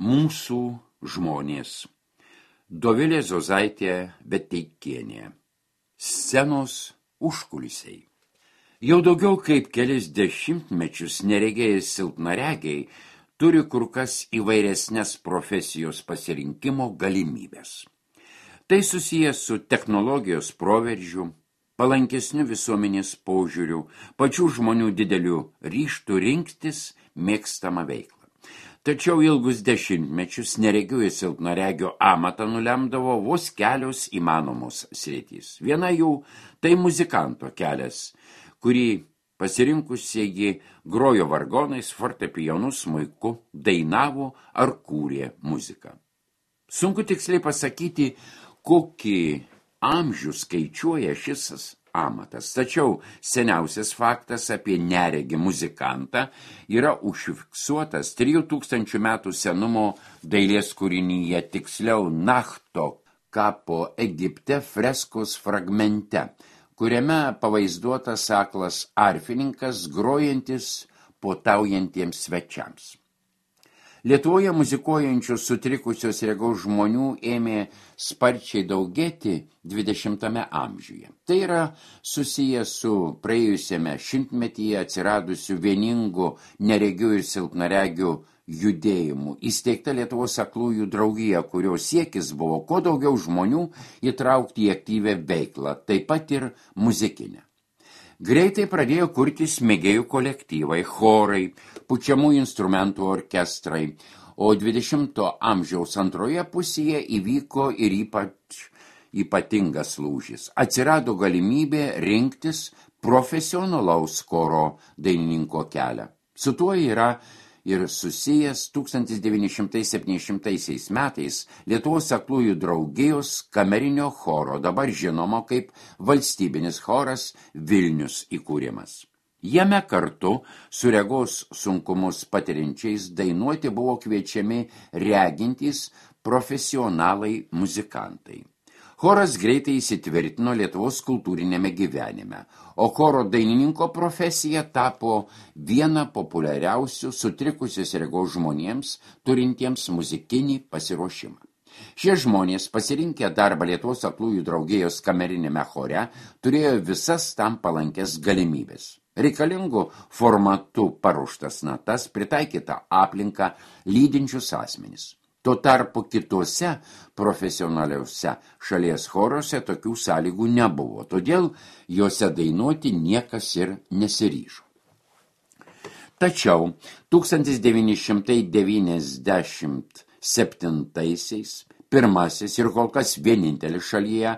Mūsų žmonės. Dovilė Zozaitė Beteikienė. Scenos užkulisiai. Jau daugiau kaip kelis dešimtmečius neregėjai silpnaregiai turi kur kas įvairesnės profesijos pasirinkimo galimybės. Tai susijęs su technologijos proveržiu, palankesniu visuomenės požiūriu, pačių žmonių dideliu ryžtu rinktis mėgstamą veiklą. Tačiau ilgus dešimtmečius neregių ir silpnaregio amatą nulemdavo vos kelios įmanomos sritys. Viena jų tai muzikanto kelias, kurį pasirinkusieji grojo vargonais, fortepijonu, smuiku, dainavo ar kūrė muziką. Sunku tiksliai pasakyti, kokį amžių skaičiuoja šis amatas. Tačiau seniausias faktas apie neregį muzikantą yra užfiksuotas 3000 metų senumo dailės kūrinyje, tiksliau Nachto kapo Egipte freskos fragmente, kuriame pavaizduotas aklas arfininkas grojantis puotaujantiems svečiams. Lietuvoje muzikuojančių sutrikusios regos žmonių ėmė sparčiai daugėti 20 amžiuje. Tai yra susiję su praėjusiame šimtmetyje atsiradusiu vieningu neregių ir silpnaregių judėjimu. Įsteigta Lietuvos aklųjų draugija, kurio siekis buvo kuo daugiau žmonių įtraukti į aktyvę veiklą, taip pat ir muzikinę. Greitai pradėjo kurtis mėgėjų kolektyvai, chorai, pučiamų instrumentų orkestrai, o 20 amžiaus antroje pusėje įvyko ir ypatingas lūžis. Atsirado galimybė rinktis profesionalaus choro dainininko kelią. Su tuo yra ir susijęs 1970 metais Lietuvos aklųjų draugijos kamerinio choro, dabar žinoma kaip valstybinis choras Vilnius įkūrimas. Jame kartu su regos sunkumus patiriančiais dainuoti buvo kviečiami regintys profesionalai muzikantai. Choras greitai įsitvirtino Lietuvos kultūrinėme gyvenime, o choro dainininko profesija tapo viena populiariausių sutrikusios regos žmonėms, turintiems muzikinį pasiruošimą. Šie žmonės, pasirinkę darbą Lietuvos aklųjų draugijos kamerinėme chore, turėjo visas tam palankės galimybės. Reikalingų formatu paruoštas natas, pritaikytą aplinką, lydinčius asmenis. Tuo tarpu kitose profesionaliuose šalies choruose tokių sąlygų nebuvo, todėl juose dainuoti niekas ir nesiryžo. Tačiau 1997-aisiais pirmasis ir kol kas vienintelis šalyje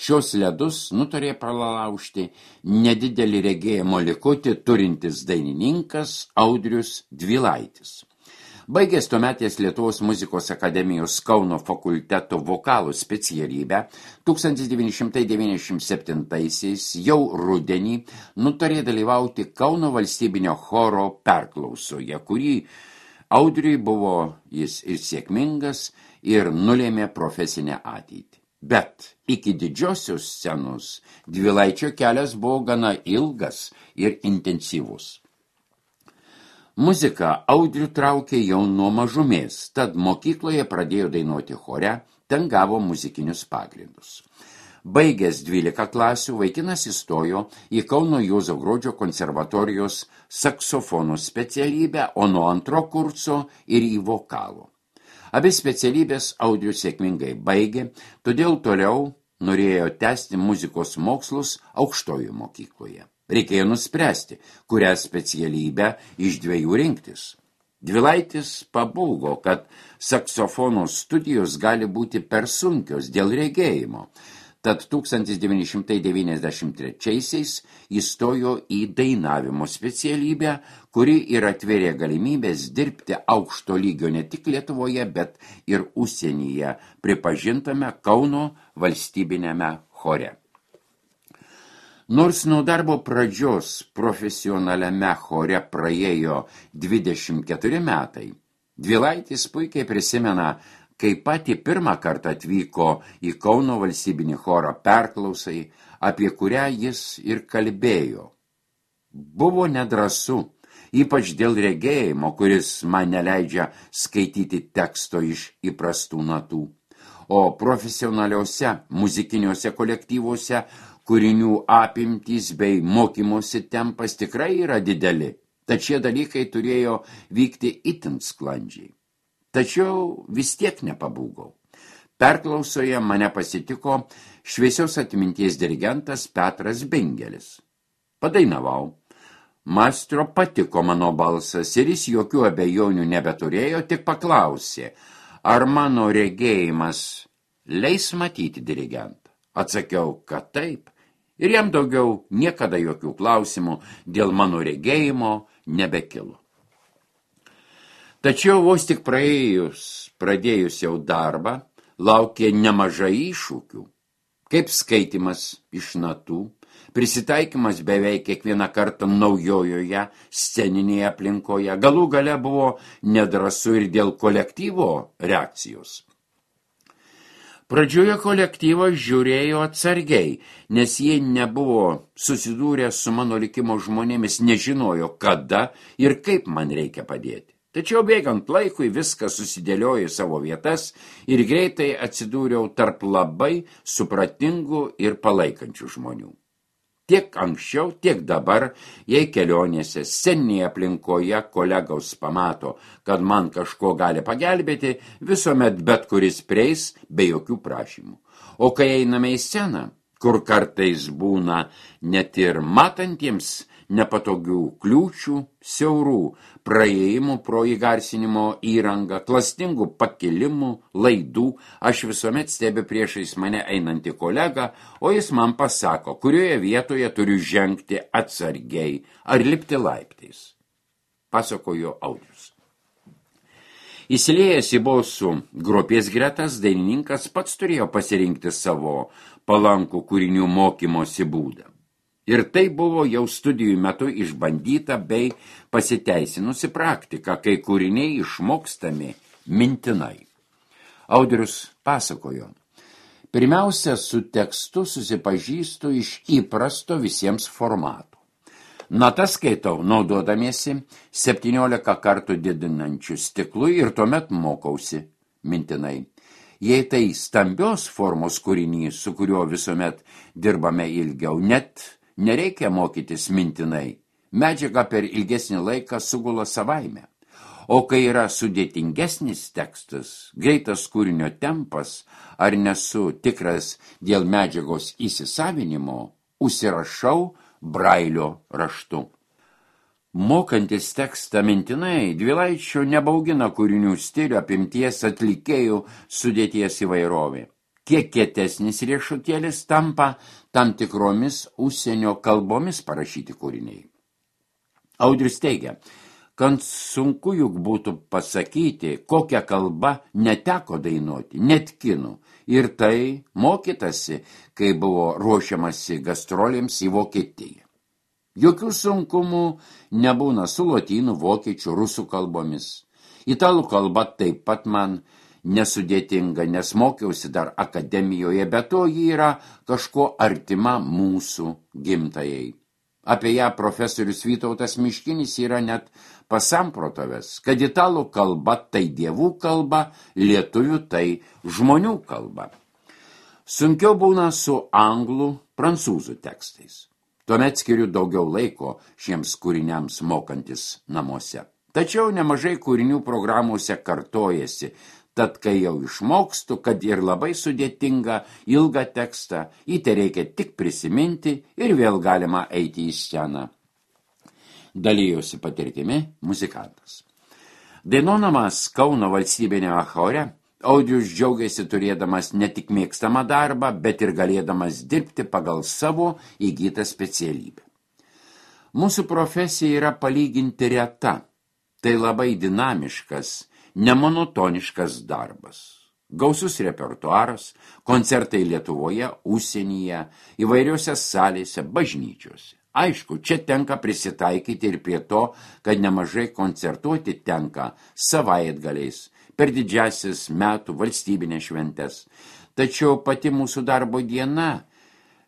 šios ledus nutarė pralaužti nedidelį regėjimo likutį turintis dainininkas Audrius Dvilaitis. Baigęs tuometės Lietuvos muzikos akademijos Kauno fakulteto vokalo specialybę, 1997-aisiais jau rudenį nutarė dalyvauti Kauno valstybinio choro perklausoje, kurį Audriui buvo jis ir sėkmingas ir nulėmė profesinę ateitį. Bet iki didžiosios scenos Dvilaičio kelias buvo gana ilgas ir intensyvus. Muzika Audrių traukė jau nuo mažumės, tad mokykloje pradėjo dainuoti chore, ten gavo muzikinius pagrindus. Baigęs 12 klasių, vaikinas įstojo į Kauno Juozo Gruodžio konservatorijos saksofonų specialybę, o nuo antro kurso ir į vokalo. Abi specialybės Audrius sėkmingai baigė, todėl toliau norėjo tęsti muzikos mokslus aukštojo mokykloje. Reikėjo nuspręsti, kurią specialybę iš dviejų rinktis. Dvilaitis pabūgo, kad saksofono studijos gali būti per sunkios dėl regėjimo, tad 1993-aisiais įstojo į dainavimo specialybę, kuri ir atvėrė galimybės dirbti aukšto lygio ne tik Lietuvoje, bet ir užsienyje pripažintame Kauno valstybinėme chore. Nors nuo darbo pradžios profesionaliame chore praėjo 24 metai, Dvilaitis puikiai prisimena, kai patį pirmą kartą atvyko į Kauno valstybinį chorą perklausai, apie kurią jis ir kalbėjo. Buvo nedrąsu, ypač dėl regėjimo, kuris man neleidžia skaityti teksto iš įprastų natų. O profesionaliuose muzikiniuose kolektyvuose kūrinių apimtys bei mokymosi tempas tikrai yra dideli, tad šie dalykai turėjo vykti itin sklandžiai. Tačiau vis tiek nepabūgau. Perklausoje mane pasitiko šviesios atminties dirigentas Petras Bingelis. Padainavau. Maestro patiko mano balsas ir jis jokių abejonių nebeturėjo, tik paklausė, ar mano regėjimas leis matyti dirigentą. Atsakiau, kad taip, ir jam daugiau niekada jokių klausimų dėl mano regėjimo nebekilo. Tačiau vos tik pradėjus jau darbą, laukė nemažai iššūkių, kaip skaitimas iš natų, prisitaikymas beveik kiekvieną kartą naujojoje sceninėje aplinkoje, galų gale buvo nedrąsu ir dėl kolektyvo reakcijos. Pradžioje kolektyvas žiūrėjo atsargiai, nes jie nebuvo susidūrę su mano likimo žmonėmis, nežinojo, kada ir kaip man reikia padėti. Tačiau bėgant laikui viskas susidėliojo į savo vietas ir greitai atsidūriau tarp labai supratingų ir palaikančių žmonių. Tiek anksčiau, tiek dabar, jei kelionėse, sceninėje aplinkoje kolegos pamato, kad man kažko gali pagelbėti, visuomet bet kuris prieis be jokių prašymų. O kai einame į sceną, kur kartais būna net ir matantiems nepatogių kliūčių, siaurų praėjimų pro įgarsinimo įrangą, klastingų pakilimų, laidų, aš visuomet stebiu priešais mane einantį kolegą, o jis man pasako, kurioje vietoje turiu žengti atsargiai ar lipti laiptais. Pasakojo Audrius. Įsiliejęs į bosų grupės gretas, dainininkas pats turėjo pasirinkti savo palankų kūrinių mokymosi būdą. Ir tai buvo jau studijų metu išbandyta bei pasiteisinusi praktika, kai kūriniai išmokstami mintinai. Audrius pasakojo, pirmiausia, su tekstu susipažįstu iš įprasto visiems formatų. Natas skaitau, naudodamiesi 17 kartų didinančių stiklų ir tuomet mokausi mintinai. Jei tai stambios formos kūrinys, su kuriuo visuomet dirbame ilgiau, net nereikia mokytis mintinai. Medžiaga per ilgesnį laiką sugula savaime. O kai yra sudėtingesnis tekstas, greitas kūrinio tempas, ar nesu tikras dėl medžiagos įsisavinimo, užsirašau brailio raštu. Mokantis tekstą mintinai, Dvilaičio nebaugina kūrinių stilių, apimties, atlikėjų sudėties įvairovė. Kiek kietesnis riešutėlis tampa tam tikromis užsienio kalbomis parašyti kūriniai. Audrius teigia, kad sunku juk būtų pasakyti, kokią kalbą neteko dainuoti, net kinų. Ir tai mokytasi, kai buvo ruošiamasi gastrolėms į Vokietiją. Jokių sunkumų nebūna su lotynų, vokiečių, rusų kalbomis. Italų kalba taip pat man nesudėtinga, nes mokiausi dar akademijoje, bet to ji yra kažko artima mūsų gimtajai. Apie ją profesorius Vytautas Miškinis yra net pasamprotavęs, kad italų kalba tai dievų kalba, lietuvių tai žmonių kalba. Sunkiau būna su anglų, prancūzų tekstais. Tuomet skiriu daugiau laiko šiems kūriniams mokantis namuose. Tačiau nemažai kūrinių programuose kartojasi, tad kai jau išmokstu, kad ir labai sudėtinga ilgą tekstą, į tai reikia tik prisiminti ir vėl galima eiti į sceną. Dalijosi patirtimi muzikantas. Dainuodamas Kauno valstybinėme chore, Audrius džiaugiasi turėdamas ne tik mėgstamą darbą, bet ir galėdamas dirbti pagal savo įgytą specialybę. Mūsų profesija yra palyginti reta. Tai labai dinamiškas, nemonotoniškas darbas. Gausus repertuaras, koncertai Lietuvoje, užsienyje, įvairiose salėse, bažnyčiose. Aišku, čia tenka prisitaikyti ir prie to, kad nemažai koncertuoti tenka savaitgaliais, per didžiasis metų valstybinės šventes. Tačiau pati mūsų darbo diena,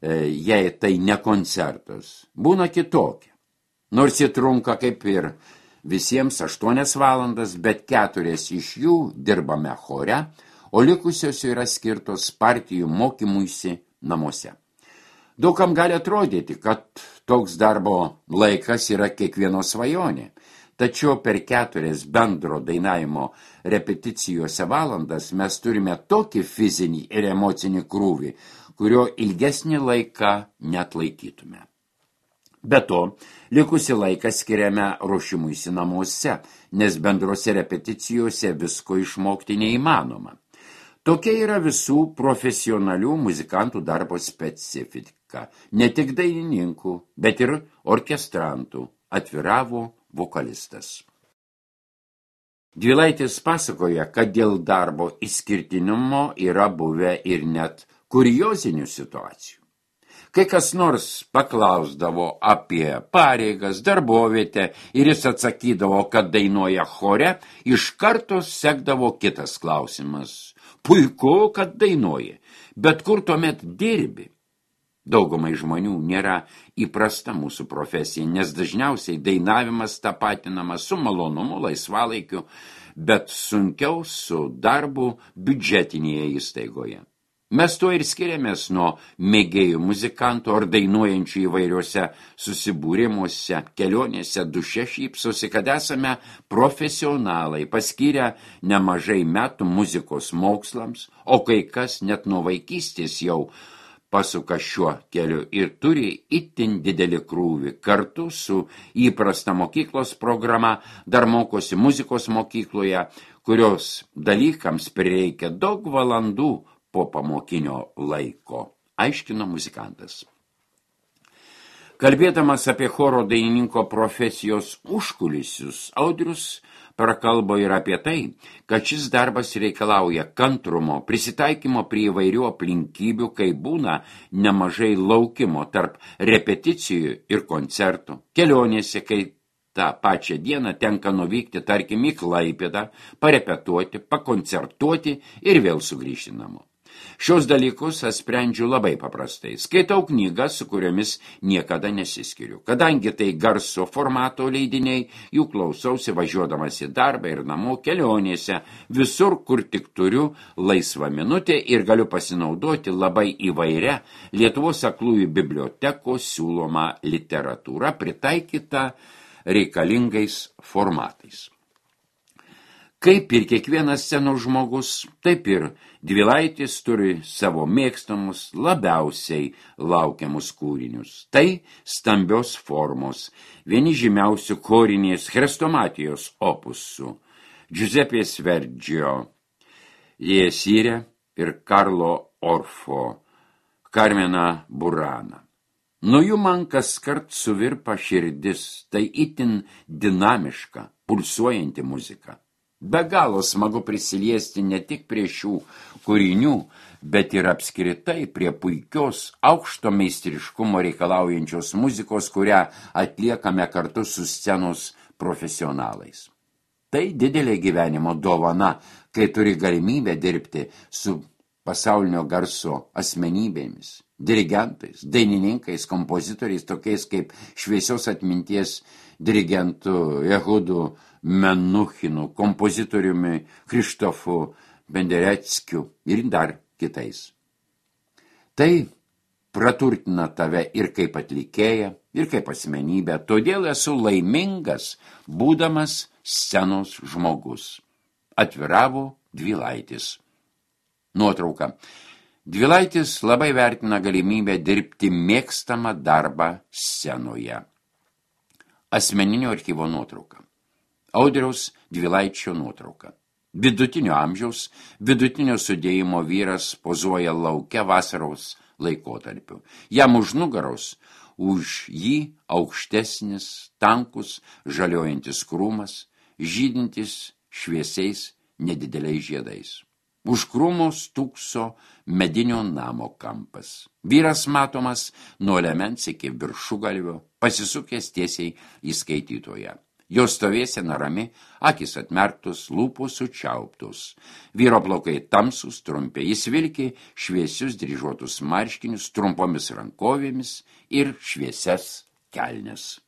jei tai ne koncertas, būna kitokia. Nors jie trunka kaip ir visiems 8 valandas, bet 4 iš jų dirbame chore, o likusios yra skirtos partijų mokymuisi namuose. Daugam gali atrodyti, kad toks darbo laikas yra kiekvieno svajonė, tačiau per 4 bendro dainavimo repeticijose valandas mes turime tokį fizinį ir emocinį krūvį, kurio ilgesnį laiką neatlaikytume. Be to, likusį laiką skiriame ruošimuisi namuose, nes bendrose repeticijose visko išmokti neįmanoma. Tokia yra visų profesionalių muzikantų darbo specifika, ne tik dainininkų, bet ir orkestrantų, atviravo vokalistas. Dvilaitis pasakoja, kad dėl darbo išskirtinumo yra buvę ir net kuriozinių situacijų. Kai kas nors paklausdavo apie pareigas, darbovietę ir jis atsakydavo, kad dainuoja chore, iš karto sekdavo kitas klausimas. Puiku, kad dainuoji, bet kur tuomet dirbi? Daugumai žmonių nėra įprasta mūsų profesija, nes dažniausiai dainavimas tapatinamas su malonumu, laisvalaikiu, bet sunkiau su darbu biudžetinėje įstaigoje. Mes to ir skiriamės nuo mėgėjų muzikantų ar dainuojančių įvairiuose susibūrimuose, kelionėse, duše šypsosi, kad esame profesionalai, paskyrę nemažai metų muzikos mokslams, o kai kas net nuo vaikystės jau pasuka šiuo keliu ir turi itin didelį krūvį. Kartu su įprasta mokyklos programa dar mokosi muzikos mokykloje, kurios dalykams prireikia daug valandų po pamokinio laiko, aiškino muzikantas. Kalbėdamas apie choro dainininko profesijos užkulisius, Audrius prakalbo ir apie tai, kad šis darbas reikalauja kantrumo, prisitaikymo prie įvairių aplinkybių, kai būna nemažai laukimo tarp repeticijų ir koncertų, kelionėse, kai tą pačią dieną tenka nuvykti, tarkim, į Klaipėdą, parepetuoti, pakoncertuoti ir vėl sugrįžti namo. Šios dalykus aš sprendžiu labai paprastai. Skaitau knygas, su kuriomis niekada nesiskiriu. Kadangi tai garso formato leidiniai, jų klausausi važiuodamas į darbą ir namo, kelionėse, visur, kur tik turiu laisvą minutę ir galiu pasinaudoti labai įvairia Lietuvos aklųjų bibliotekos siūloma literatūra, pritaikyta reikalingais formatais. Kaip ir kiekvienas scenos žmogus, taip ir Dvilaitis turi savo mėgstamus, labiausiai laukiamus kūrinius. Tai stambios formos, vieni žymiausių chorinės chrestomatijos opusų, Giuseppės Verdžio, Jesirė ir Karlo Orfo, Carmena Burana. Nuo jų man kaskart suvirpa širdis, tai itin dinamiška, pulsuojanti muzika. Be galo smagu prisiliesti ne tik prie šių kūrinių, bet ir apskritai prie puikios, aukšto meistriškumo reikalaujančios muzikos, kurią atliekame kartu su scenos profesionalais. Tai didelė gyvenimo dovana, kai turi galimybę dirbti su pasaulinio garso asmenybėmis, dirigentais, dainininkais, kompozitoriais, tokiais kaip šviesios atminties dirigentu Ehudu Menuchinu, kompozitoriumi Krištofu Bendereckiu ir dar kitais. Tai praturtina tave ir kaip atlikėją, ir kaip asmenybę, todėl esu laimingas, būdamas scenos žmogus. Atviravo Dvilaitis. Nuotrauka. Dvilaitis labai vertina galimybę dirbti mėgstamą darbą scenoje. Asmeninio archyvo nuotrauka. Audriaus Dvilaičio nuotrauka. Vidutinio amžiaus, vidutinio sudėjimo vyras pozuoja lauke vasaros laikotarpiu. Jam už nugaros, už jį aukštesnis, tankus, žaliojantis krūmas, žydintis šviesiais nedideliais žiedais. Už krūmo stūkso medinio namo kampas. Vyras matomas nuo liemens iki viršugalvio, pasisukęs tiesiai į skaitytoją. Jo stovėsena rami, akis atmerktos, lūpos sučiauptos. Vyro plaukai tamsūs, trumpi, jis vilki šviesius dryžuotus marškinius, trumpomis rankovėmis ir šviesias kelnes.